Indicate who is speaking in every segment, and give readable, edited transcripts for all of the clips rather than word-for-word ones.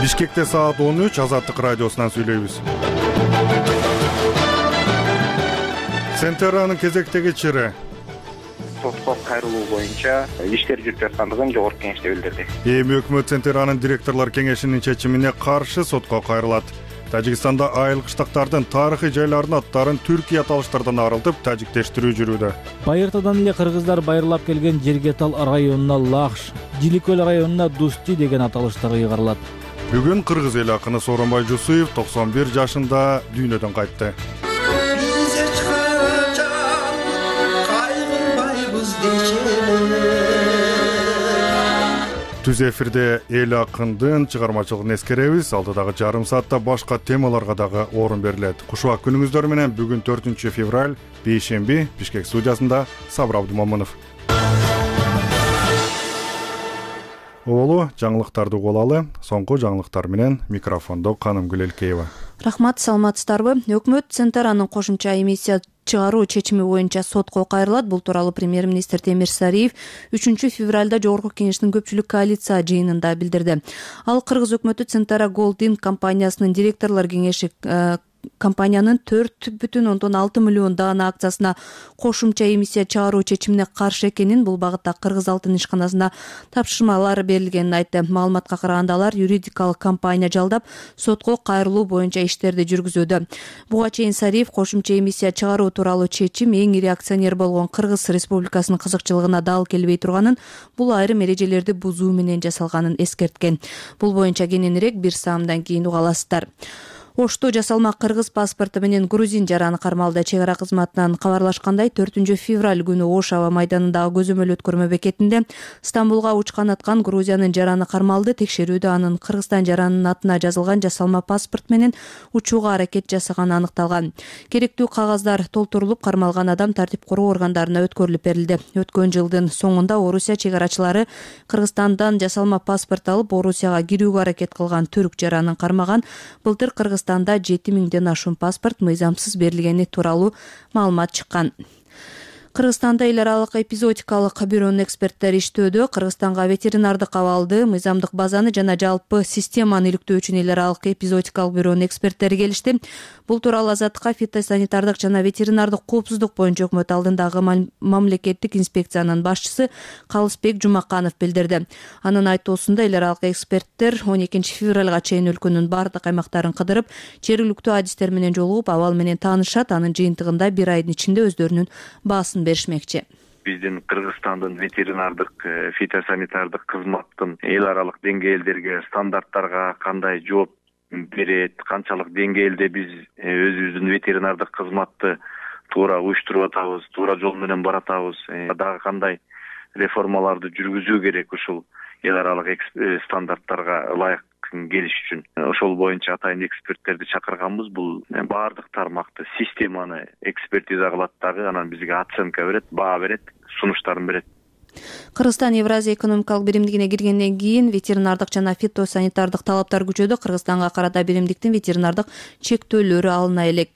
Speaker 1: Бишкекте саат 13 Азаттык радиосунан сүйлөйбүз. Центеранын кезектеги чыры
Speaker 2: сотко кайрылуу боюнча иштер жүрүп жаткандыгын жогорку кеңеште билдирди.
Speaker 1: Эми өкмөт Центеранын директорлор кеңешинин чечимине каршы сотко кайрылат. Тажикстанда айыл кыштактардын тарыхый жайларынын аттарын түркий аталыштардан арылтып, тажиктештирүү жүрүүдө.
Speaker 3: Байыртадан эле кыргыздар байырлап келген Жергетал районуна Лахш, Жиликөл районуна Дусти деген аталыштар ыйгарылат.
Speaker 1: Бүгүн кыргыз эл акыны Сооронбай Жусуев 91 жашында дүйнөдөн кайтты. Түз эфирде эл акындын чыгармачылыгын эскеребиз. Алдыдагы жарым саатта башка темаларга дагы орун берилет. Кушубак күнүңүздөр менен бүгүн 4 февраль, бейшемби, Бишкек студиясында Сабыр Абдумомунов. Олу жаңылыктарды угулалы. Соңку жаңылыктар менен микрофондо Канымгүл Элкеева.
Speaker 4: Рахмат, саламатсыздарбы? Өкмөт Центеранын кошумча эмиссия чыгаруу чечими боюнча сотко кайрылат. Бул тууралуу премьер-министр Темир Сариев 3 февралда жогорку кеңештин көпчүлүк коалиция жыйынында билдирди. Ал кыргыз өкмөтү Центера Голдинг компаниясынын директорлор кеңеши компаниянын 4,6 миллион даана акциясына кошумча эмиссия чыгаруу чечимине каршы экенин, бул багытта Кыргыз алтын ишканасына тапшырмалар берилгенин айтты. Маалыматка караганда алар юридикалык компания жалдап, сотко кайрылуу боюнча иштерди жүргүзүүдө. Буга чейин Сариев кошумча эмиссия чыгаруу тууралуу чечим эң ири акционер болгон Кыргыз Республикасынын кызыкчылыгына дал келбей турганын, бул айрым эрежелерди бузуу менен жасалганын эскерткен. Бул боюнча кененирээк бир саамдан кийин уга аласыздар. Ошто жасалма кыргыз паспорту менен грузин жараны кармалды. Чек ара кызматынан кабарлашкандай, 4 февраль күнү Ош аба майданындагы көзөмөл өткөрмө бекетинде Стамбулга учкан аткан Грузиянын жараны кармалды. Текшерүүдө анын Кыргызстан жаранынын атына жазылган жасалма паспорт менен учууга аракет жасаганы аныкталган. Керектүү кагаздар толтурулуп, кармалган адам тартип короо органдарына өткөрүлүп берилди. Өткөн жылдын соңунда Орусия чек арачылары Кыргызстандан жасалма паспорт алып, Орусияга кирүүгө аракет кылган түрк жаранын кармаган. Былтыр Кыргызстанда 7000ден ашуун паспорт мыйзамсыз берилгени тууралуу маалымат чыккан. Кыргызстанда эл аралык эпизодикалык бюронун эксперттери иштөөдө. Кыргызстанга ветеринардык абалды, мыйзамдык базаны жана жалпы системаны иликтөө үчүн эл аралык эпизодикалык бюронун эксперттери келишти. Бул тууралуу Азаттыкка фитосанитардык жана ветеринардык коопсуздук боюнча өкмөт алдындагы мамлекеттик инспекциянын башчысы Калысбек Жумаканов билдирди. Анын айтуусунда эл аралык эксперттер 12 февралга чейин өлкөнүн бардык аймактарын кыдырып, жергиликтүү адистер менен жолугуп, абал менен таанышат. Анын жыйынтыгында бир айдын ичинде өздөрүнүн баасын беришмекчи.
Speaker 2: Биздин Кыргызстандын ветеринардык, фитосанитардык кызматтын эл аралык деңгээлдерге, стандарттарга кандай жооп берет, канчалык деңгээлде биз өзүбүздүн ветеринардык кызматты туура уюштуруп атабыз, туура жол менен баратабыз, дагы кандай реформаларды жүргүзүү керек ушул эл аралык стандарттарга ылайык келиш үчүн. Ошол боюнча атайын эксперттерди чакырганбыз. Бул баардык тармакты, системаны экспертиза кылат дагы, анан бизге оценка берет, баа берет, сунуштарын берет.
Speaker 4: Кыргызстан Евразия экономикалык биримдигине киргенден кийин ветеринардык жана фитосанитардык талаптар күчөдө. Кыргызстанга карата биримдиктин ветеринардык чектөөлөрү алына элек.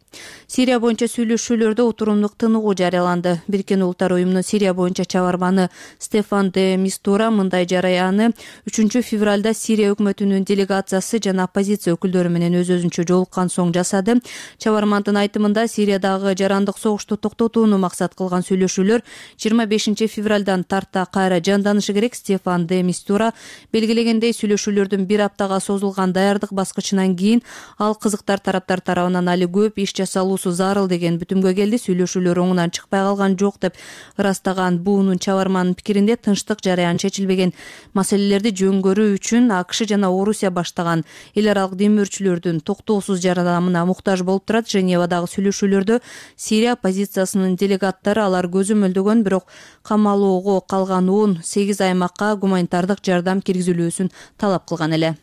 Speaker 4: Сирия боюнча сүйлөшүүлөрдө отурумдук тыныгуу жарыяланды. Бириккен Улуттар уюмунун Сирия боюнча чабарманы Стефан де Мистура мындай жарыяны 3 февралда Сирия өкмөтүнүн делегациясы жана оппозиция өкүлдөрү менен өз-өзүнчө жолуккан соң жасады. Чабармандын айтымында, Сириядагы жарандык согушту токтотууну максат кылган сүйлөшүүлөр 25 февралдан тарта кайра жанданышы керек. Стефан де Мистура белгилегендей, сүйлөшүүлөрдүн бир аптага созулган даярдык баскычынан кийин ал кызыктар тараптар тарабынан али көп иш жасалуусу зарыл деген бүтүмгө келди. Сүйлөшүүлөр оңунан чыкпай калган жок деп ырастаган буунун чабарманын пикиринде, тынчтык жараян чечилбеген маселелерди жөнгөрүү үчүн АКШ жана Орусия баштаган эл аралык демөөрчүлөрдүн токтоосуз жардамына муктаж болуп турат. Женевадагы сүйлөшүүлөрдө Сирия оппозициясынын делегаттары алар көзөмөлдөгөн, бирок камалоого калган 18 аймакка гуманитардык жардам киргизилүүсүн талап кылган эле.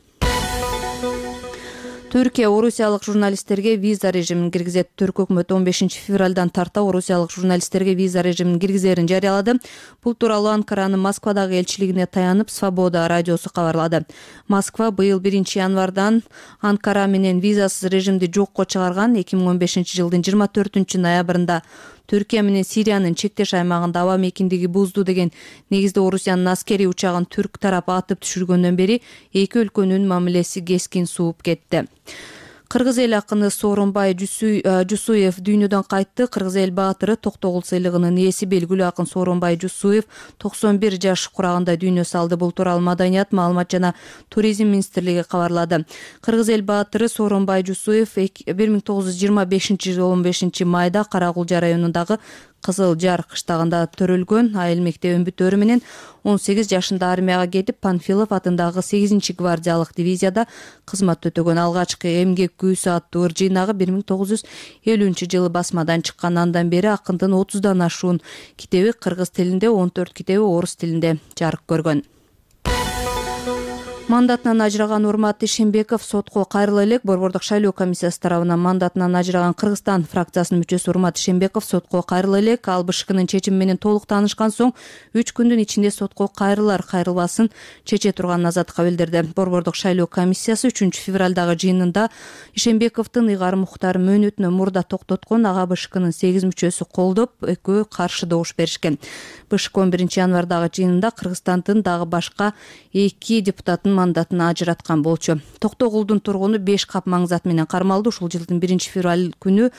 Speaker 4: Түркия орусиялык журналисттерге виза режимин киргизет. Түрк өкмөтү 15 февралдан тарта орусиялык журналисттерге виза режимин киргизерин жарыялады. Бул тууралуу Анкаранын Москвадагы элчилигине таянып Свобода радиосу кабарлады. Москва быйыл 1 январдан Анкара менен визасыз режимди жокко чыгарган. 2015 жылдын 24 ноябрында Түркия менен Сириянын чектеш аймагында аба мейкиндиги бузду деген негизде Орусиянын аскерий учагын түрк тарапы атып түшүргөндөн бери эки өлкөнүн мамилеси кескин сууп кетти. Кыргыз эл акыны Сооронбай Жусуев дүйнөдөн кайтты. Кыргыз эл баатыры Токтогул сыйлыгынын ээси белгилүү акын Сооронбай Жусуев 91 жаш курагында дүйнө салды. Бул тууралуу Маданият, маалымат жана туризм министрлиги кабарлады. Кыргыз эл баатыры Сооронбай Жусуев 1925-жылы 15-майда Карагулжа районундагы Кызыл Жар кыштагында төрөлгөн. Айыл мектеп өмбүтөрү менен 18 жашында армияга кетип, Панфилов атындагы 8-гвардиялык дивизияда кызмат өтөгөн. Алгачкы эмгек күүсү аттуу ыр жыйнагы 1950-жылы басмадан чыккан. Андан бери акындын 30дан ашуун китеби кыргыз тилинде, 14 китеби орус тилинде жарык көргөн. Мандатынан ажыраган Урмат Ишембеков сотко кайрыла элек. Борбордук шайлоо комиссиясы тарабынан мандатынан ажыраган Кыргызстан фракциясынын мүчөсү Урмат Ишембеков сотко кайрыла элек. Ал БШКнын чечими менен толук таанышкан соң 3 күндүн ичинде сотко кайрылар, кайрылбасын чече турганын азаттыкка билдирди. Борбордук шайлоо комиссиясы 3-февралдагы жыйынында Ишембековдун ыйгар Мухтар мөөнөтүнө мурда токтоткон. Ага БШКнын 8 мүчөсү колдоп, экөө каршы добуш беришкен. БШК 11-январдагы жыйынында Кыргызстандын дагы башка 2 депутатын мандатына ажыраткан болчу. Токтогулдун тургуну 5 кап маңзат менен кармалды. Ушул жылдын 1-февраль күнү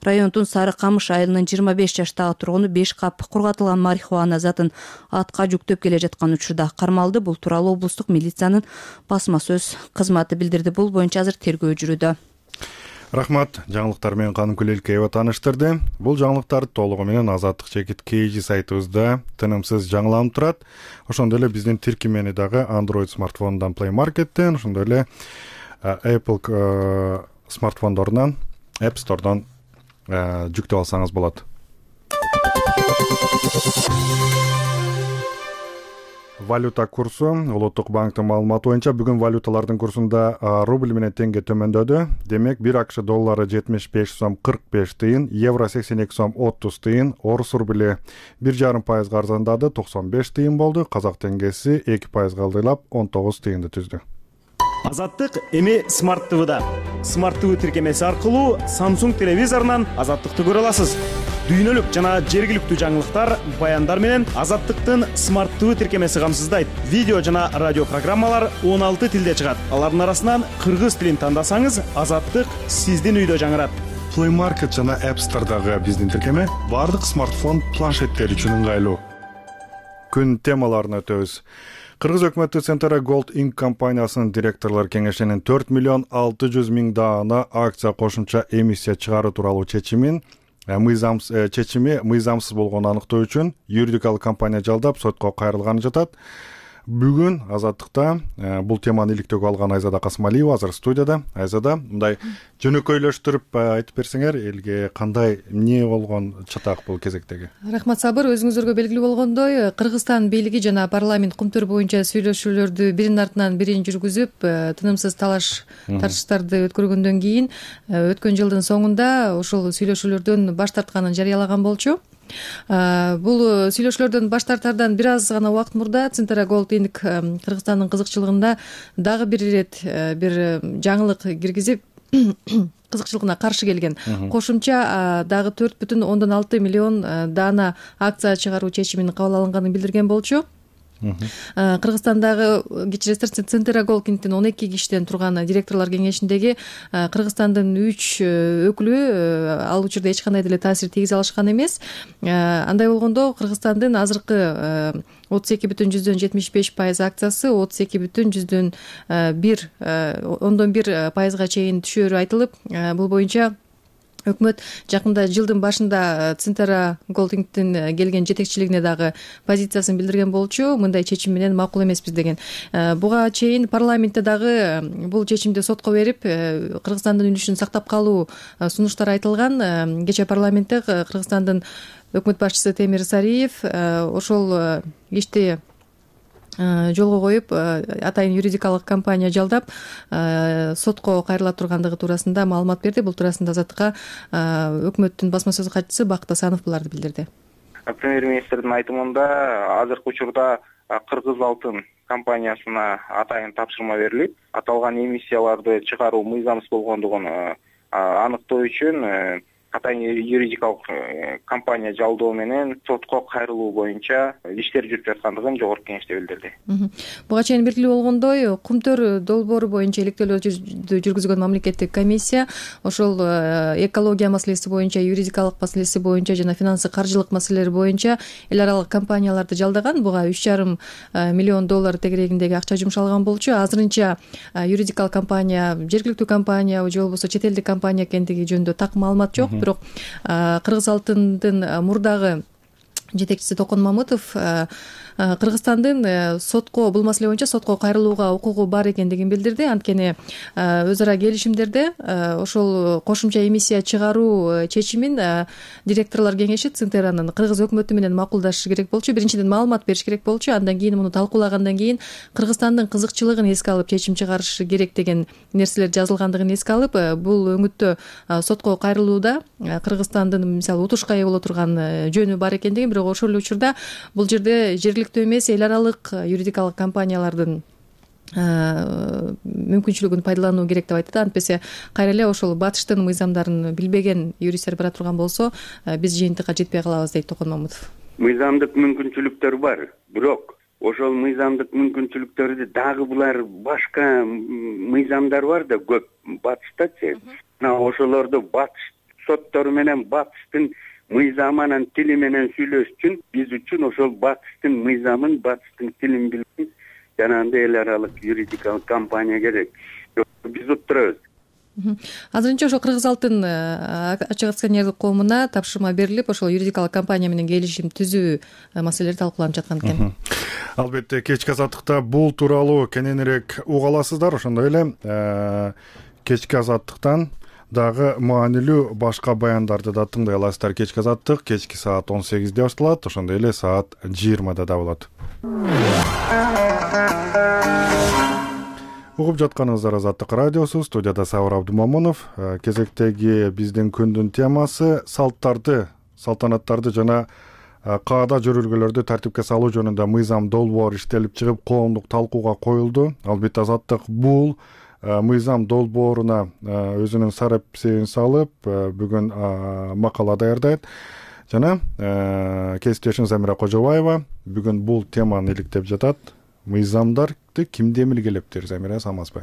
Speaker 4: райондун Сары Камыш айылынын 25 жаштагы тургуну 5 кап кургатылган марихуана затын атка жүктөп келе жаткан учурда кармалды. Бул тууралуу облустук милициянын басма сөз кызматы билдирди. Бул боюнча азыр тергөө жүрүүдө.
Speaker 1: Рахмат, жаңылыктар менен Каныкүл Элкеева тааныштырды. Бул жаңылыктар толугу менен Азаттык чекит KG сайтыбызда тынымсыз жаңыланып турат. Ошондой эле биздин тиркемени дагы Android смартфонунан Play Market'тен, ошондой эле Apple смартфондорунан App Store'дан жүктөп алсаңыз болот. Валюта курсу Улуттук банктын маалыматы боюнча бүгүн валюталардын курсунда рубль менен теңге төмөндөдү. Демек 1 АКШ доллары 75 сом 45 тыйын, евро 82 сом 30 тыйын, орус рубли 1,5% арзандады, 95 тыйын болду. Казак теңгеси 2% алдылап 19 тыйынды түздү.
Speaker 5: Азаттык эми Smart TV'да. Smart TV тиркемеси аркылуу Samsung телевизорунан Азаттыкты көрө аласыз. Дүйнөлүк жана жергиликтүү жаңылыктар, баяндар менен Азаттыктын Smart TV тиркемеси камсыздайт. Видео жана радио программалар 16 тилде чыгат. Алардын арасынан кыргыз тилин тандасаңыз, Азаттык сиздин үйдө жаңырат.
Speaker 1: Play Market жана App Store'дагы биздин тиркеме бардык смартфон планшеттер үчүн ыңгайлуу. Күн темаларына өтөбүз. Кыргыз өкмөтү Centara Gold Inc. компаниясынын директорлор кеңешинин 4 миллион 600 миң даана акция кошумча эмиссия чыгаруу тууралуу чечими мыйзамсыз болгонун аныктоо үчүн юридикалык компания жалдап сотко кайрылганы жатат. Бүгүн Азаттыкта бул теманы иликтөөгө алган Айзада Касымалиева азыр студияда. Айзада, мындай жөнөкөйлөштүрүп айтып берсеңер, элге кандай эмне болгон чатак бул кезектеги?
Speaker 6: Рахмат Сабыр, өзүңүздарга белгилүү болгондой, Кыргызстан бийлиги жана парламент кумтөр боюнча сүйлөшүүлөрдү биринин артынан бирин жүргүзүп, тынымсыз талаш тартыштарды өткөргөндөн кийин өткөн жылдын соңунда ушул сүйлөшүүлөрдөн баш тартканын жарыялаган болчу. Бул сүйлөшүүлөрдөн баш тартардан бир аз гана убакыт мурда Centara Gold Inc. Кыргызстандын кызыкчылыгында дагы бир ирет бир жаңылык киргизип кызыкчылыгына каршы келген. Кошумча дагы 4,6 миллион даана акция чыгаруу чечиминин кабыл алынганын билдирген болчу. Кыргызстандагы кечиресиздер Centara Gold Inc.тин 12 кишиден турган директорлор кеңешиндеги Кыргызстандын 3 өкүлү ал учурда эч кандай деле таасир тийгизе алышкан эмес. Андай болгондо Кыргызстандын азыркы 32,75% акциясы 32,1% чейин түшөөрү айтылып, бул боюнча өкмөт жакында жылдын башында Centara Gold Inc.тин келген жетекчилигине дагы позициясын билдирген болчу. Мындай чечим менен макул эмеспиз деген. Буга чейин парламентте дагы бул чечимди сотко берип, Кыргызстандын үнүшүн сактап калуу сунуштар айтылган. Кечээ парламентте Кыргызстандын өкмөт башчысы Темир Сариев ошол ишти жолго коюп, атайын юридикалык компания жалдап сотко кайрыла тургандыгы туурасында маалымат берди. Бул туурасында Азаттыкка өкмөттүн басма сөз катчысы Бакыт Асанов буларды билдирди.
Speaker 7: Премьер-министрдин айтымында азыркы учурда Кыргыз алтын компаниясына атайын тапшырма берилип, аталган эмиссияларды чыгаруу мыйзамсыз болгондугун аныктоо үчүн атайын юридикалык компания жалдоо менен сотко кайрылуу боюнча иштер жүрүп жаткандыгын жогорку кеңеште билдирди.
Speaker 6: Буга чейин белгилүү болгондой, Кумтөр долбоору боюнча иликтөөлөрдү жүргүзгөн мамлекеттик комиссия ошол экология маселеси боюнча, юридикалык маселеси боюнча жана финансы каржылык маселелер боюнча эл аралык компанияларды жалдаган. Буга $3,5 миллион тегерегиндеги акча жумшалган болчу. Азырынча юридикалык компания, жергиликтүү компания же болбосо чет элдик компания экендиги жөнүндө так маалымат жок. Бирок Кыргыз алтындын мурдагы жетекчиси Токон Мамытов Кыргызстандын сотко бул маселе боюнча сотко кайрылууга укугу бар экендигин билдирди. Анткени өз ара келишимдерде ошол кошумча эмиссия чыгаруу чечимин директорлор кеңеши Центеранын Кыргыз өкмөтү менен макулдашышы керек болчу. Биринчиден маалымат бериш керек болчу. Андан кийин муну талкуулагандан кийин Кыргызстандын кызыкчылыгын эске алып чечим чыгарышы керек деген нерселер жазылгандыгын эске алып, бул өңүттө сотко кайрылууда Кыргызстандын мисалы утушка ээ боло турган жөнү бар экендигин, бирок ошол эле учурда бул жерде жергиликтүү эмес эл аралык юридикалык компаниялардын мүмкүнчүлүгүн пайдалануу керек деп айтты. Антпесе кайра эле ошол батыштын мыйзамдарын билбеген юристтер бара турган болсо, биз жыйынтыкка жетпей калабыз, дейт Токон Мамытов.
Speaker 8: Мыйзамдык мүмкүнчүлүктөр бар, бирок ошол мыйзамдык мүмкүнчүлүктөрдү дагы булар башка мыйзамдар бар да көп батыштачы. Ошолорду батыш соттору менен батыштын мыйзамы анан тили менен сүйлөш үчүн биз үчүн ошол батыштын мыйзамын, батыштын тилин билген жанагындай эл аралык юридикалык компания керек. Биз уттурабыз.
Speaker 6: Азырынча ошол Кыргыз алтын ачык акционерлик коомуна тапшырма берилип, ошол юридикалык компания менен келишим түзүү маселелери талкууланып жаткан экен.
Speaker 1: Албетте кечки азаттыкта бул тууралуу кененирээк уга аласыздар. Ошондой эле кечки азаттыктан дагы маанилүү башка баяндарды да тыңдай аласыздар. Кечки азаттык кечки саат 18-де башталат, ошондой эле саат 20-да да болот. Угуп жатканыңыздар Азаттык радиосу, студияда Сабыр Абдумомунов. Кезектеги биздин күндүн темасы салтанаттарды жана каада жөрөлгөлөрдү тартипке салуу жөнүндө мыйзам долбоор иштелип чыгып, коомдук талкууга коюлду. Албетте Азаттык бул мыйзам долбооруна өзүнүн сарапсебин салып, бүгүн макала даярдайт. Жана кесиптешим Замира Кожобаева бүгүн бул теманы иликтеп жатат. Мыйзамдарды ким демилгелептир, Замира, саламатсызбы?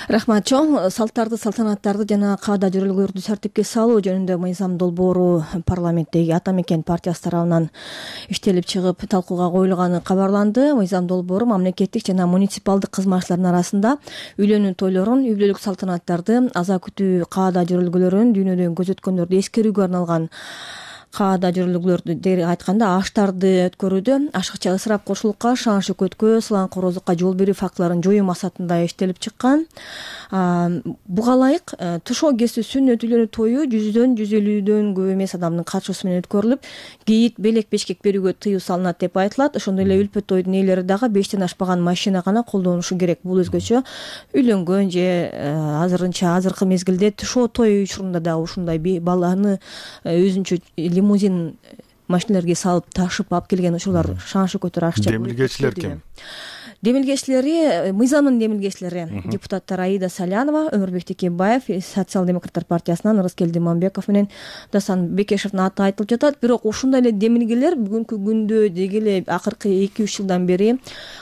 Speaker 9: Рахмат чоң. Салттарды, салтанаттарды жана каада жөрөлгөлөрдү тартипке салуу жөнүндө мыйзам долбоору парламенттеги Ата Мекен партиясы тарабынан иштелип чыгып талкууга коюлганы кабарланды. Мыйзам долбоору мамлекеттик жана муниципалдык кызматчылардын арасында үйлөнүү тойлорун, үй бүлөлүк салтанаттарды, аза күтүү каада жөрөлгөлөрүн, дүйнөдөн көзөткөндөрдү эскерүүгө арналган каада жөрөлгөлөрдү деги айтканда аштарды өткөрүүдө ашыкча ысырап кошулукка, шаан шөкөткө, сылаң корозлукка жол берүү фактыларын жоюу максатында иштелип чыккан. Буга ылайык тушоо кесүү сүннөт үйлөнүү тою 100-150дөн көп эмес адамдын катышуусу менен өткөрүлүп, кийит, белек, бешкек берүүгө тыюу салынат деп айтылат. Ошондой эле үлпөт тойдун ээлери дагы 5тен ашпаган машина гана колдонушу керек. Бул өзгөчө үйлөнгөн же азыркы мезгилде тушоо той учурунда дагы ушундай баланы өзүнчө лимузин машиналарга салып ташып алып келген учурлар шаан шөкөттөр ашыкча.
Speaker 1: Демилгечилер ким?
Speaker 9: Демилгечилери, мыйзамдын демилгечилери депутаттар Аида Салянова, Өмүрбек Текебаев, Социал-демократтар партиясынан Ырыскелди Мамбеков менен Дасан Бекешевдин аты айтылып жатат. Бирок ушундай эле демилгелер бүгүнкү күндө деги эле акыркы 2-3 жылдан бери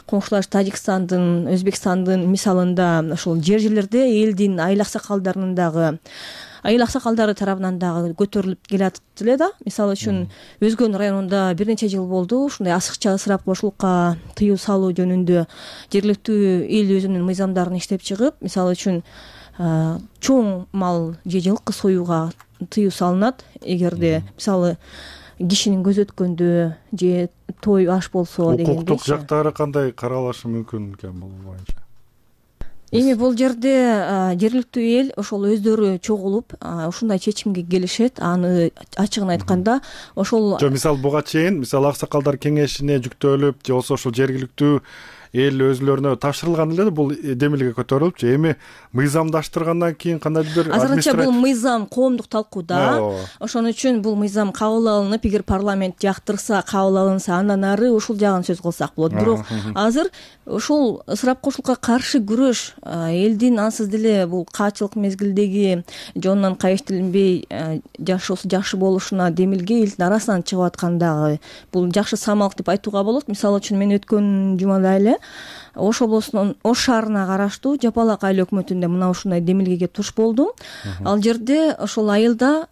Speaker 9: коңшулаш Тажикстандын, Өзбекстандын мисалында ошол жерлерде элдин айыл аксакалдарынын дагы айыл аксакалдары тарабынан дагы көтөрүлүп келатат эле да. Мисалы үчүн Өзгөн районунда бир нече жыл болду ушундай ашыкча ысырап кошулукка тыюу салуу жөнүндө жергиликтүү эл өзүнүн мыйзамдарын иштеп чыгып, мисалы үчүн чоң мал же жылкы союуга тыюу салынат. Эгерде мисалы кишинин көзү өткөндө же той аш болсо дегендей.
Speaker 1: Укуктук жактары кандай каралышы мүмкүн экен бул боюнча?
Speaker 9: Эми бул жерде жергиликтүү эл ошол өздөрү чогулуп ушундай чечимге келишет. Аны ачыгын айтканда ошол
Speaker 1: мисалы буга чейин аксакалдар кеңешине жүктөлүп же болбосо ошол жергиликтүү эл өзүлөрүнө тапшырылган эле бул демилге көтөрүлүп же эми мыйзамдаштыргандан кийин кандайдыр бир
Speaker 9: азырынча бул мыйзам коомдук талкууда. Ошон үчүн бул мыйзам кабыл алынып, эгер парламент жактырса, кабыл алынса, андан ары ушул жагын сөз кылсак болот. Бирок азыр ушул ысырап кошулукка каршы күрөш элдин ансыз деле бул каачылык мезгилдеги жонунан кайыштелинбей жашоосу жакшы болушуна демилге элдин арасынан чыгып аткандагы бул жакшы самалык деп айтууга болот. Мисалы үчүн мен өткөн жумада эле Ош облусунун Ош шаарына караштуу Жапалак айыл өкмөтүндө мына ушундай демилгеге туш болдум. Ал жерде ошол айылда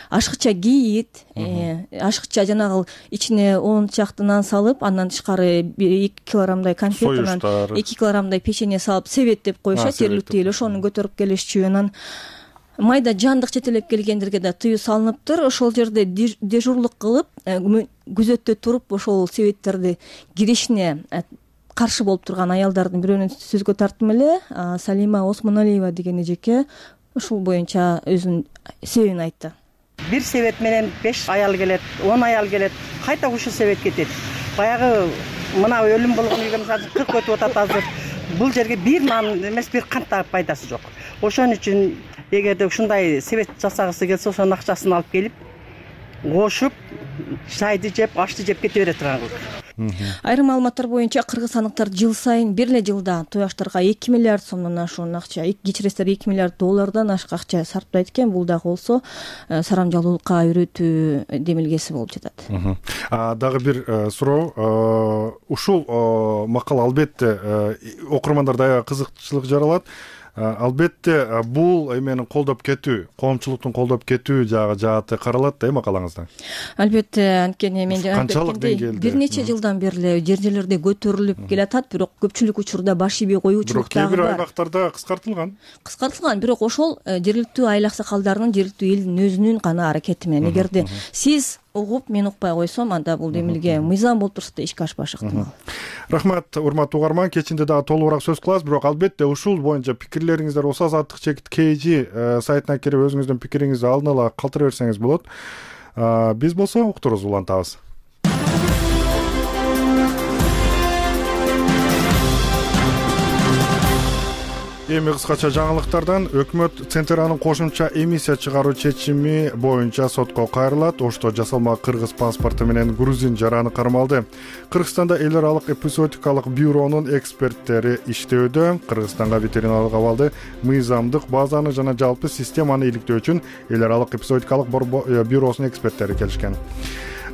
Speaker 9: ашыкча кийит, ашыкча жанагы ичине 10 чакты нан салып, андан тышкары 2 килограммдай конфет, 2 килограммдай печенье салып себеттеп коюшат, жергиликтүү эл ошону көтөрүп келишчү. Анан майда жандык жетелеп келгендерге да тыюу салыныптыр. Ошол жерде дежурлук кылып, күзөттө туруп ошол себеттерди киришине каршы болуп турган аялдардын бирөөнүн сөзгө тарттым эле. Салима Осмоналиева деген эжеке ушул боюнча өзүнүн себебин айтты.
Speaker 10: Бир себет менен 5 аял келет, 10 аял келет, кайта ушул себет кетет. Баягы мына өлүм болгон үйгө мисалы 40 өтүп атат азыр. Бул жерге бир нан эмес, бир кант да пайдасы жок. Ошон үчүн эгерде ушундай себет жасагысы келсе, ошонун акчасын алып келип, кошуп, чайды жеп, ашты жеп кете бере турган кыз.
Speaker 9: Айрым маалыматтар боюнча кыргызстандыктар жыл сайын бир эле жылда тояштарга 2 миллиард сомдон ашуун акча, кечиресиздер 2 миллиард доллардан ашык акча сарптайт экен. Бул дагы болсо сарамжалуулукка үйрөтүү демилгеси болуп жатат.
Speaker 1: Дагы бир суроо. Ушул макала албетте окурмандарда аябай кызыкчылык жаралат. Албетте бул эменин колдоп кетүү, коомчулуктун колдоп кетүү жааты каралат да макалаңызда.
Speaker 9: Албетте, анткени мен
Speaker 1: канчалык деңгээлде
Speaker 9: бир нече жылдан бери жерлерде көтөрүлүп келатат, бирок көпчүлүк учурда баш ийбей коюучулук дагы бар.
Speaker 1: Бирок кээ бир аймактарда кыскартылган, бирок ошол жергиликтүү айыл аксакалдарынын, жергиликтүү элдин өзүнүн гана аракети менен. Эгерде сиз угуп, мен укпай койсом, анда бул демилге мыйзам болуп турса да ишке ашпашы ыктымал. Рахмат, урматтуу угарман. Кечинде дагы толугураак сөз кылабыз, бирок албетте ушул боюнча пикирлериңиздер болсо Азаттык чекит KG сайтына кирип өзүңүздүн пикириңизди алдын ала калтыра берсеңиз болот. Биз болсо уктуруубузду улантабыз. Эми кыскача жаңылыктардан өкмөт Центеранын кошумча эмиссия чыгаруу чечими боюнча сотко кайрылат. Ошто жасалма кыргыз паспорту менен грузин жараны кармалды. Кыргызстанда эл аралык эпизодикалык бюронун эксперттери иштөөдө. Кыргызстанга ветеринарлык абалды, мыйзамдык базаны жана жалпы системаны иликтөө үчүн эл аралык эпизодикалык бюросунун эксперттери келишкен.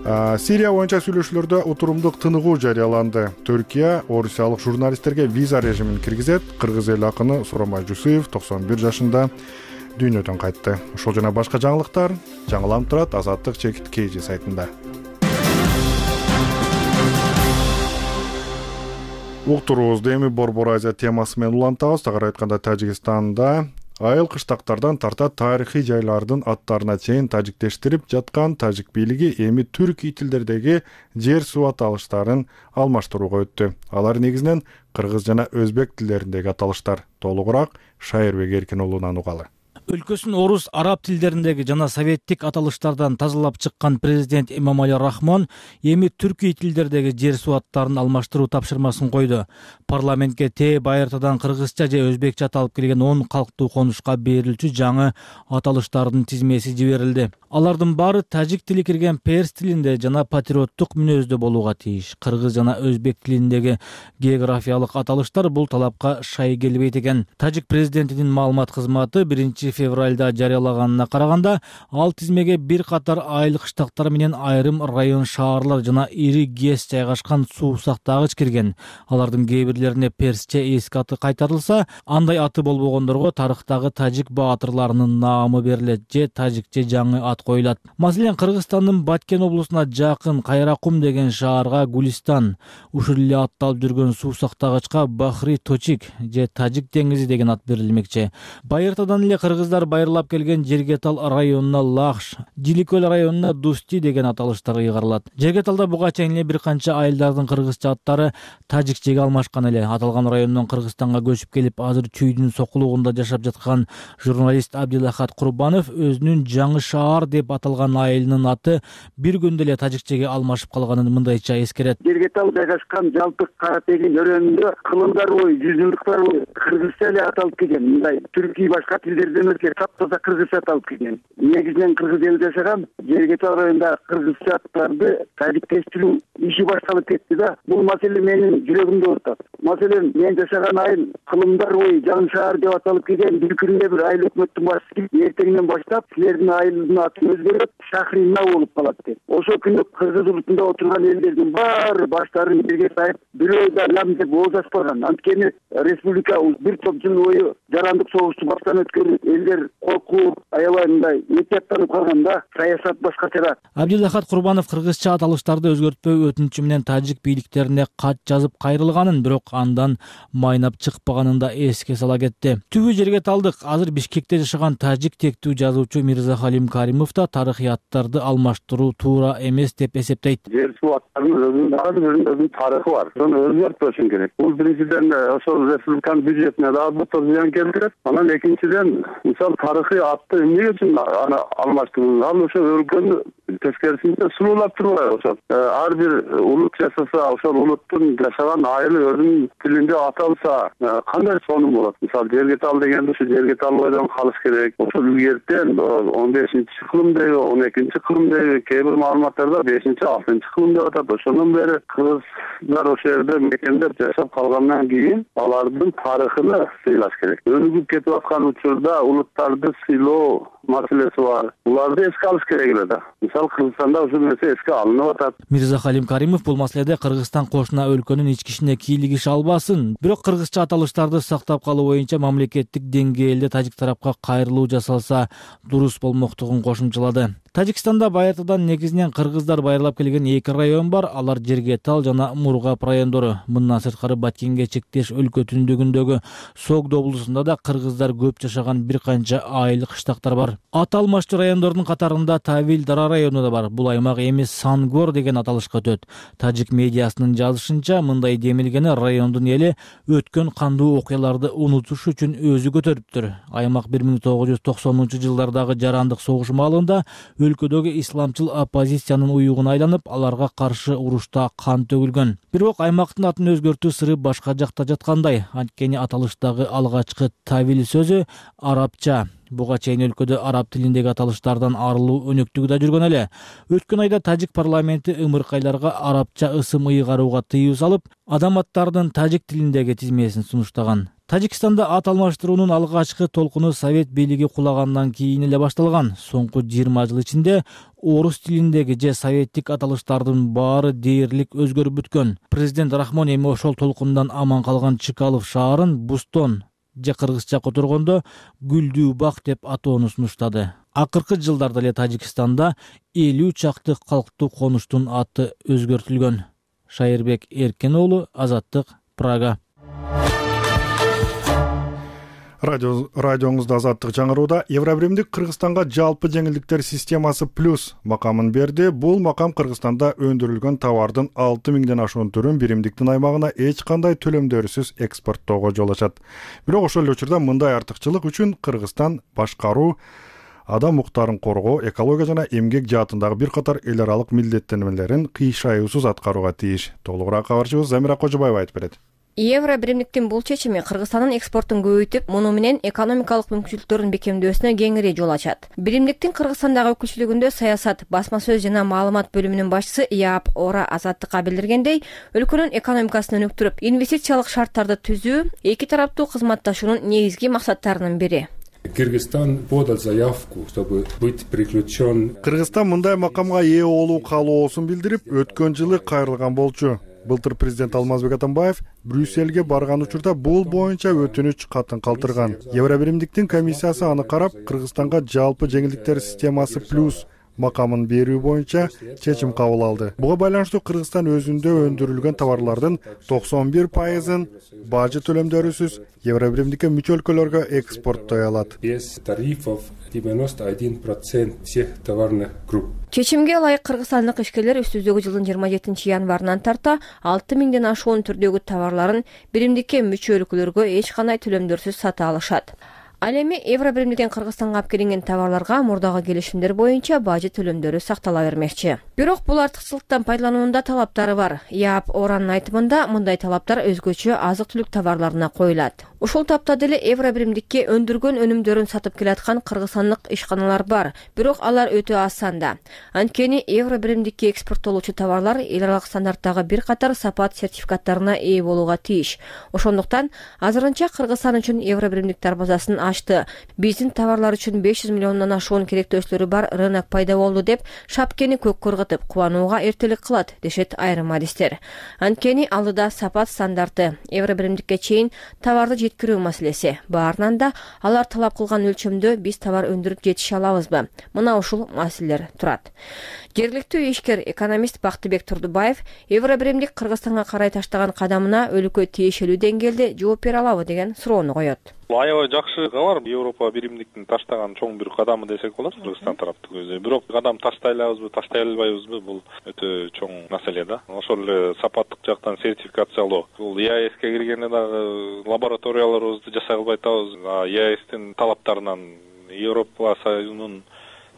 Speaker 1: Сирия боюнча сүйлөшүүлөрдө утурумдук тыныгуу жарыяланды. Түркия орусиялык журналисттерге виза режимин киргизет. Кыргыз эл акыны Суромай Жусуев 91 жашында дүйнөдөн кайтты. Ошол жана башка жаңылыктар жаңыланып турат Азаттык чекит KG сайтында. Уктуруубузду эми Борбор Азия темасы менен улантабыз. Тагыраак айтканда Тажикстанда айыл кыштактардан тарта тарыхый жайлардын аттарына чейин тажиктештирип жаткан тажик бийлиги эми түркий тилдердеги жер суу аталыштарын алмаштырууга өттү. Алар негизинен кыргыз жана өзбек тилдериндеги аталыштар. Толугураак Шайырбек Эркин уулунан угалы.
Speaker 3: Өлкөсүн орус, араб тилдериндеги жана советтик аталыштардан тазалап чыккан президент Эмомали Рахмон эми түркий тилдердеги жер суу аттарын алмаштыруу тапшырмасын койду. Парламентке тээ байыртадан кыргызча же өзбекче аталып келген 10 калктуу конушка берилчү жаңы аталыштардын тизмеси жиберилди. Алардын баары тажик тили кирген перс тилинде жана патриоттук мүнөздө болууга тийиш. Кыргыз жана өзбек тилиндеги географиялык аталыштар бул талапка шай келбейт экен. Тажик президентинин маалымат кызматы 1 февралда жарыялаганына караганда, ал тизмеге бир катар айыл кыштактар менен айрым район шаарлар жана ири ГЭС жайгашкан суусак дагы кирген. Алардын кээ бирлерине персче эски аты кайтарылса, андай аты болбогондорго тарыхтагы тажик баатырларынын наамы берилет же тажикче жаңы ат коюлат. Маселен, Кыргызстандын Баткен облусуна жакын Кайракум деген шаарга Гулистан, ушул эле атталып жүргөн суусактагычка Бахри Точик же Тажик деңизи деген ат берилмекчи. Байыртадан эле Кыргыз кыргыздар байырлап келген Жергетал районуна Лахш, Жиликөл районуна Дусти деген аталыштар ыйгарылат. Жергеталда буга чейин эле бир канча айылдардын кыргызча аттары тажикчеге алмашкан эле. Аталган райондон Кыргызстанга көчүп келип, азыр чүйдүн сокулугунда жашап жаткан журналист Абдилахат Курбанов өзүнүн Жаңы шаар деп аталган айылынын аты бир күндө эле тажикчеге алмашып калганын мындайча эскерет.
Speaker 8: Жергетал жайгашкан жалпы Каратегин өрөөнүндө кылымдар бою, жүзүлдүктөр бою кыргызча эле аталып келген. Мындай түркий башка тилдерден өзгө таптаза кыргызча аталып келген. Негизинен кыргыз элде жашаган Жергетал районунда кыргызча аттарды тажиктештирүү иши башталып кетти да. Бул маселе менин жүрөгүмдө отурат. Маселен, мен жашаган айыл кылымдар бою Жаңы шаар деп аталып келген. Бир күндө бир айыл өкмөттүн башчысы эртеңден баштап силердин айылдын аты өзгөрүп Шахрина болуп калат деп. Ошол күндө кыргыз улутунда отурган элдердин баары баштарын жерге сайып, бирөө да лам деп ооз ачпаган. Анткени республика бир топ жыл бою жарандык согушту баштан өткөрүп, элдер коркуп, аябай мындай этияттанып калганда саясат башкачараак.
Speaker 3: Абдилахат Курбанов кыргызча аталыштарды өзгөртпөө өтүнүчү менен тажик бийликтерине кат жазып кайрылганын, бирок андан майнап чыкпаганын да эске сала кетти. Түбү Жергеталдык азыр Бишкекте жашаган тажик тектүү жазуучу Мирзахалим Каримов да тарыхыяттарды алмаштыруу туура эмес деп эсептейт.
Speaker 11: Жер суу аттарынын өзүнүн тарыхы бар. Аны өзгөртпөшүң керек. Бул биринчиден ошол республиканын бюджетине дагы зыян келтирет. Анан экинчиден, мисалы тарыхый атты эмне үчүн аны алмаштыруу? Ал ошо өлкөнү тескерисинче сулуулап турбайбы ошол. Ар бир улут жашаса, ошол улуттун жашаган айылы өзүнүн тилинде аталса, кандай сонун болот? Мисалы Жергетал дегенде ушу Жергетал бойдон калыш керек. Ошол илгертен 15-кылымдагы, 12-кылымдагы кээ бир маалыматтарда 5-6-кылым деп атат. Ошондон бери кыргыздар ошол жерде мекендеп жашап калгандан кийин алардын тарыхын сыйлаш керек. Өнүгүп кетип аткан учурда улуттарды сыйлоо маселеси бар. Буларды эске алыш керек эле да. Мисалы Кыргызстанда ушул нерсе эске алынып атат.
Speaker 3: Мирзахалим Каримов бул маселеде Кыргызстан кошуна өлкөнүн ички ишине кийлигише албасын, бирок кыргызча аталыштарды сактап калуу боюнча мамлекеттик деңгээлде тажик тарапка кайрылуу жасалса дурус болмоктугун кошумчалады. Тажикстанда баятыдан негизинен кыргыздар байырлап келген 2 район бар. Алар Жергетал жана Мургап райондору. Мындан сырткары Баткенге чектеш өлкө түндүгүндөгү Согд облусунда да кыргыздар көп жашаган бир канча айыл кыштактар бар. Аты алмаштуу райондордун катарында Тавил Дара району да бар. Бул аймак эми Сангор деген аталышка өтөт. Тажик медиасынын жазышынча, мындай демилгени райондун эли өткөн кандуу окуяларды унутуш үчүн өзү көтөрүптүр. Аймак 1990-жылдардагы жарандык согуш маалында өлкөдөгү исламчыл оппозициянын уюгуна айланып, аларга каршы урушта кан төгүлгөн. Бирок аймактын атын өзгөртүү сыры башка жакта жаткандай. Анткени аталыштагы алгачкы Тавил сөзү арабча. Буга чейин өлкөдө араб тилиндеги аталыштардан арылуу өнөктүгү да жүргөн эле. Өткөн айда тажик парламенти ымыркайларга арабча ысым ыйгарууга тыюу салып, адам аттарынын тажик тилиндеги тизмесин сунуштаган. Тажикстанда ат алмаштыруунун алгачкы толкуну совет бийлиги кулагандан кийин эле башталган. Соңку 20 жыл ичинде орус тилиндеги же советтик аталыштардын баары дээрлик өзгөрүп бүткөн. Президент Рахмон эми ошол толкундан аман калган Чкалов шаарын Бустон же кыргызча которгондо Гүлдүү бак деп атоону сунуштады. Акыркы жылдарда эле Тажикстанда 50 чакты калктуу конуштун аты өзгөртүлгөн. Шайырбек Эркен уулу, Азаттык, Прага.
Speaker 1: Радионузда Азаттык жаңырууда. Евробиримдик Кыргызстанга жалпы жеңилдиктер системасы плюс макамын берди. Бул макам Кыргызстанда өндүрүлгөн товардын 6000ден ашуун түрүн биримдиктин аймагына эч кандай төлөмдөрсүз экспорттоого жол ачат. Бирок ошол эле учурда мындай артыкчылык үчүн Кыргызстан башкаруу, адам укуктарын коргоо, экология жана эмгек жаатындагы бир катар эл аралык милдеттенмелерин кыйшайуусуз аткарууга тийиш. Толугураак кабарчыбыз Замира Кожобаева айтып берет.
Speaker 9: Евробиримдиктин бул чечими Кыргызстандын экспортун көбөйтүп, муну менен экономикалык мүмкүнчүлүктөрүн бекемдөөсүнө кеңири жол ачат. Биримдиктин Кыргызстандагы өкүлчүлүгүндө саясат, басма сөз жана маалымат бөлүмүнүн башчысы Яап Ора Азаттыкка билдиргендей, өлкөнүн экономикасын өнүктүрүп, инвестициялык шарттарды түзүү эки тараптуу кызматташуунун негизги максаттарынын бири.
Speaker 12: Кыргызстан подал заявку, чтобы быть приключен.
Speaker 1: Кыргызстан мындай макамга ээ болуу каалоосун билдирип, өткөн жылы кайрылган болчу. Былтыр президент Алмазбек Атамбаев Брюссельге барган учурда бул боюнча өтүнүч катын калтырган. Евробиримдиктин комиссиясы аны карап, Кыргызстанга жалпы жеңилдиктер системасы плюс макамын берүү боюнча чечим кабыл алды. Буга байланыштуу Кыргызстан өзүндө өндүрүлгөн товарлардын 91%-ын бажы төлөмдөрүсүз Евробиримдикке мүчө өлкөлөргө экспорттой алат.
Speaker 12: Без тарифов 91% всех товарных групп.
Speaker 9: Чечимге ылайык кыргызстандык ишкерлер үстүздөгү жылдын 27 январынан тарта 6 миңден ашуун түрдөгү товарларын биримдикке мүчө өлкөлөргө эч кандай төлөмдөрсүз сата алышат. Ал эми Евробиримдиктен Кыргызстанга алып келинген товарларга мурдагы келишимдер боюнча бажы төлөмдөрү сактала бермекчи. Бирок бул артыкчылыктан пайдалануунда талаптары бар. Яап Оранын айтымында мындай талаптар өзгөчө азык-түлүк товарларына коюлат. Ушул тапта деле Евробиримдикке өндүргөн өнүмдөрүн сатып келаткан кыргызстандык ишканалар бар, бирок алар өтө аз санда. Анткени Евробиримдикке экспорттолуучу товарлар эл аралык стандарттагы бир катар сапат сертификаттарына ээ болууга тийиш. Ошондуктан азырынча Кыргызстан үчүн Евробиримдик дарбазасын ачты. Биздин товарлар үчүн 500 миллиондон ашуун керектөөчүлөрү бар рынок пайда болду деп шапкени көккө ыргытып кубанууга эртелик кылат, дешет айрым адистер. Анткени алдыда сапат стандарты, Евробиримдикке чейин товарды жеткирүү маселеси. Баарынан да алар талап кылган өлчөмдө биз товар өндүрүп жетише алабызбы? Мына ушул маселелер турат. Жергиликтүү ишкер экономист Бактыбек Турдубаев Евробиримдик Кыргызстанга карай таштаган кадамына өлкө тиешелүү деңгээлде жооп бере алабы деген суроону коет.
Speaker 13: Аябай жакшы кабар. Европа биримдиктин таштаган чоң бир кадамы десек болот Кыргызстан тараптын көзү. Бирок кадам таштай алабызбы, таштай албайбызбы, бул өтө чоң маселе да. Ошол эле сапаттык жактан сертификациялоо. Бул ЕАЭСке киргенде дагы лабораторияларыбызды жасай албай атабыз. ЕАЭСтин талаптарынан Европа Союзунун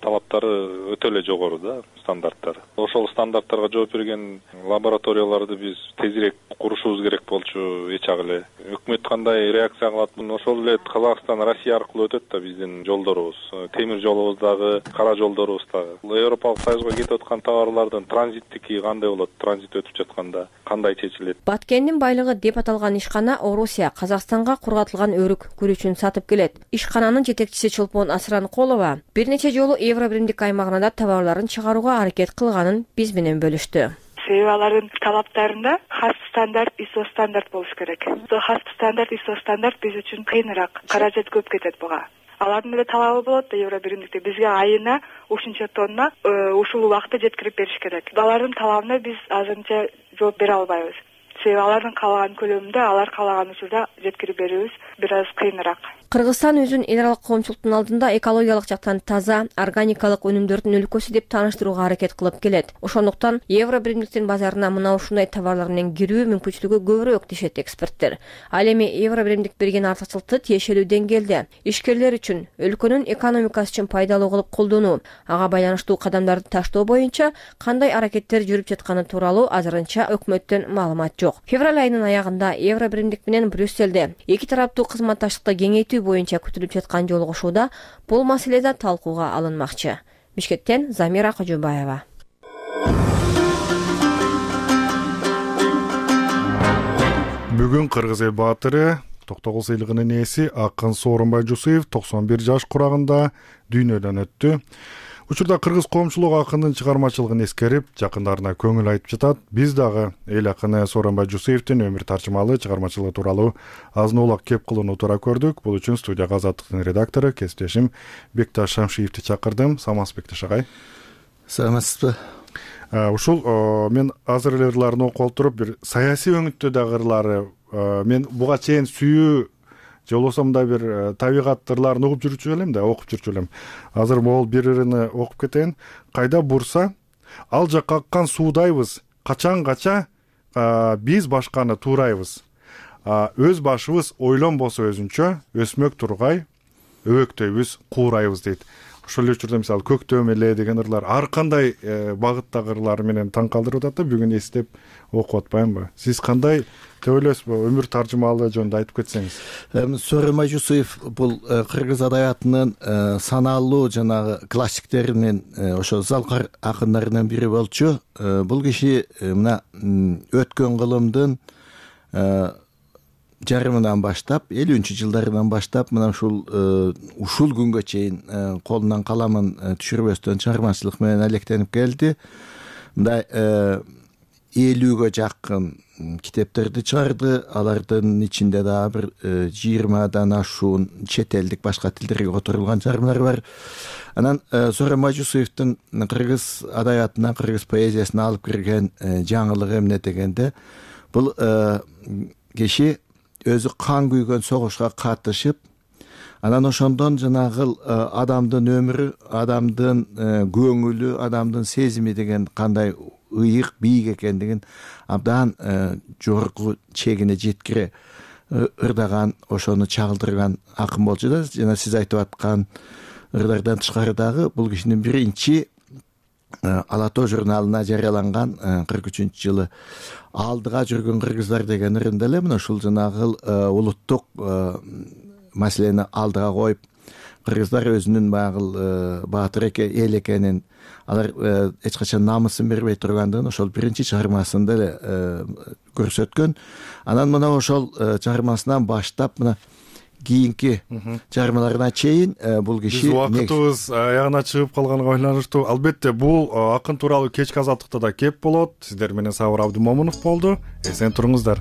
Speaker 13: талаптары өтө эле жогору да, стандарттары. Ошол стандарттарга жооп берген лабораторияларды биз тезирээк курушубуз керек болчу, эчак эле. Өкмөт кандай реакция кылат? Ошол эле Казакстан, Россия аркылуу өтөт да биздин жолдорубуз. Темир жолубуз дагы, кара жолдорубуз дагы. Европалык Союзга кетип аткан товарлардын транзиттики кандай болот? Транзит өтүп жатканда кандай чечилет?
Speaker 9: Баткендин байлыгы деп аталган ишкана Орусия Казакстанга кургатылган өрүк күрүчүн сатып келет. Ишкананын жетекчиси Чолпон Асранкулова бир нече жолу Евробиримдик аймагына да товарларын чыгарууга аракет кылганын биз менен бөлүштү.
Speaker 14: Себеби алардын талаптарында хас стандарт, ISO стандарт болуш керек. Хас стандарт, ISO стандарт биз үчүн кыйыныраак, каражат көп кетет буга. Алардын эле талабы болот да Евробиримдикте бизге айына ушунча тонна ушул убакытта жеткирип бериш керек. Алардын талабына биз азырынча жооп бере албайбыз. Себеби алардын каалаган көлөмүндө, алар каалаган учурда жеткирип берүүбүз бир аз кыйыныраак.
Speaker 9: Кыргызстан өзүн эл аралык коомчулуктун алдында экологиялык жактан таза, органикалык өнүмдөрдүн өлкөсү деп тааныштырууга аракет кылып келет. Ошондуктан Евробиримдиктин базарына мына ушундай товарлар менен кирүү мүмкүнчүлүгү көбүрөөк, дешет эксперттер. Ал эми Евробиримдик берген артыкчылыкты тиешелүү деңгээлде ишкерлер үчүн, өлкөнүн экономикасы үчүн пайдалуу кылып колдонуу, ага байланыштуу кадамдарды таштоо боюнча кандай аракеттер жүрүп жатканы тууралуу азырынча өкмөттөн маалымат жок. Февраль айынын аягында Евробиримдик менен Брюсселде эки тараптуу кызматташтыкты кеңейтүү боюнча күтүлүп жаткан жолугушууда бул маселеде талкууга алынмакчы. Бишкектен Замира Кожобаева.
Speaker 1: Бүгүн Кыргыз эл баатыры Токтогул сыйлыгынын ээси Акын Сооронбай Жусуев 91 жаш курагында дүйнөдөн өттү. Учурда кыргыз коомчулугу акындын чыгармачылыгын эскерип, жакындарына көңүл айтып жатат. Биз дагы эл акыны Сооронбай Жусуевдин өмүр таржымалуу чыгармачылыгы тууралуу азын-аулак кеп кылууну туура көрдүк. Бул үчүн студияга Азаттыктын редактору, кесиптешим Бекташ Шамшиевди чакырдым. Саламатсызбы, Бекташ агай?
Speaker 15: Саламатсызбы.
Speaker 1: Ушул мен азыр эле ырларын окуп алып туруп, бир саясий өңүттөдөгү ырлары мен буга чейин сүйүү же болбосо мындай бир табигат ырларын угуп жүрчү элем да, окуп жүрчү элем. Азыр могул бир ырыны окуп кетейин. Кайда бурса, ал жакка аккан суудайбыз. Качан-кача биз башканы туурайбыз. Өз башыбыз ойлонбосо өзүнчө, өсмөк тургай, өбөктөйбүз, куурайбыз дейт. Ошол эле учурда мисалы көктөм эле деген ырлар ар кандай багыттагы ырлар менен таң калтырып атат да, бүгүн эстеп окуп атпаймынбы? Сиз кандай деп ойлойсузбу? Өмүр таржымалыгы жөнүндө айтып кетсеңиз.
Speaker 15: Сооронбай Жусуев бул кыргыз адабиятынын санаалуу жанагы классиктеринен, ошо залкар акындарынын бири болчу. Бул киши мына өткөн кылымдын жарымынан баштап, 50-жылдарынан баштап мына ушул күнгө чейин колунан каламын түшүрбөстөн чыгармачылык менен алектенип келди. Мындай 50гө жакын китептерди чыгарды. Алардын ичинде дагы бир 20дан ашуун чет элдик башка тилдерге которулган чыгармалар бар. Анан Зора Мажусуевдин кыргыз адабиятына, кыргыз поэзиясына алып кирген жаңылыгы эмне дегенде, бул киши өзү кан күйгөн согушка катышып, анан ошондон жанагы адамдын өмүрү, адамдын көңүлү, адамдын сезими деген кандай ыйык, бийик экендигин абдан жогорку чегине жеткире ырдаган, ошону чагылдырган акын болчу да. Жана сиз айтып аткан ырдардан тышкары дагы бул кишинин биринчи Ала тоо журналына жарыяланган 43-жылы алдыга жүргөн кыргыздар деген ырында эле мына ушул жанагы улуттук маселени алдыга коюп, кыргыздар өзүнүн баягы баатыр эл экенин, алар эч качан намысын бербей тургандыгын ошол биринчи чыгармасында эле көрсөткөн. Анан мына ошол чыгармасынан баштап мына кийинки чыгармаларына чейин бул киши
Speaker 1: убакытыбыз аягына чыгып калганга байланыштуу. Албетте бул акын тууралуу кечки азаттыкта да кеп болот. Сиздер менен Сабыр Абдымомунов болду. Эсен туруңуздар.